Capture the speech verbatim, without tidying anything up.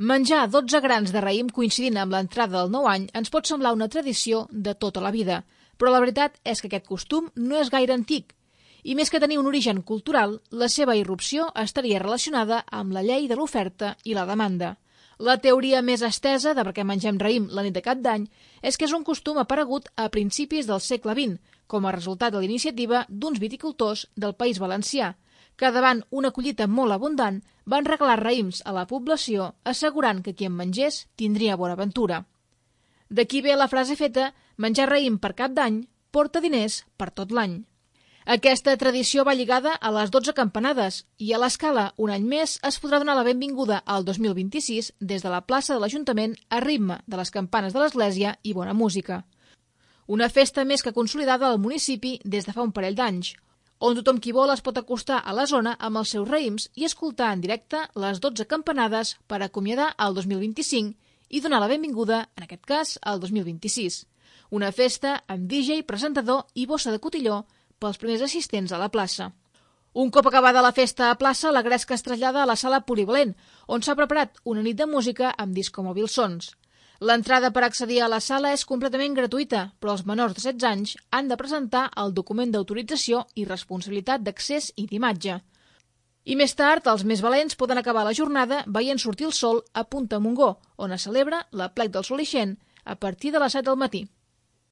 Menjar dotze grans de raïm coincidint amb l'entrada del nou any ens pot semblar una tradició de tota la vida, però la veritat és que aquest costum no és gaire antic, i més que tenir un origen cultural, la seva irrupció estaria relacionada amb la llei de l'oferta i la demanda. La teoria més estesa de per què mengem raïm la nit de Cap d'Any és que és un costum aparegut a principis del segle vint, com a resultat de la iniciativa d'uns viticultors del País Valencià, que davant una collita molt abundant van regalar raïms a la població assegurant que qui en mengés tindria bona ventura. D'aquí ve la frase feta «menjar raïm per Cap d'Any porta diners per tot l'any». Aquesta tradició va lligada a les dotze campanades i a l'escala, un any més, es podrà donar la benvinguda al dos mil vint-i-sis des de la plaça de l'Ajuntament a ritme de les campanes de l'església i bona música. Una festa més que consolidada al municipi des de fa un parell d'anys, on tothom qui vol es pot acostar a la zona amb els seus raïms i escoltar en directe les dotze campanades per acomiadar el dos mil vint-i-cinc i donar la benvinguda, en aquest cas, al dos mil vint-i-sis. Una festa amb D J, presentador i bossa de cotilló pels primers assistents a la plaça. Un cop acabada la festa a plaça, la gresca es trasllada a la sala polivalent, on s'ha preparat una nit de música amb discomòbil sons. L'entrada per accedir a la sala és completament gratuïta, però els menors de setze anys han de presentar el document d'autorització i responsabilitat d'accés i d'imatge. I més tard, els més valents poden acabar la jornada veient sortir el sol a Punta Montgó, on es celebra l'Aplec del Sol Ixent a partir de les set del matí.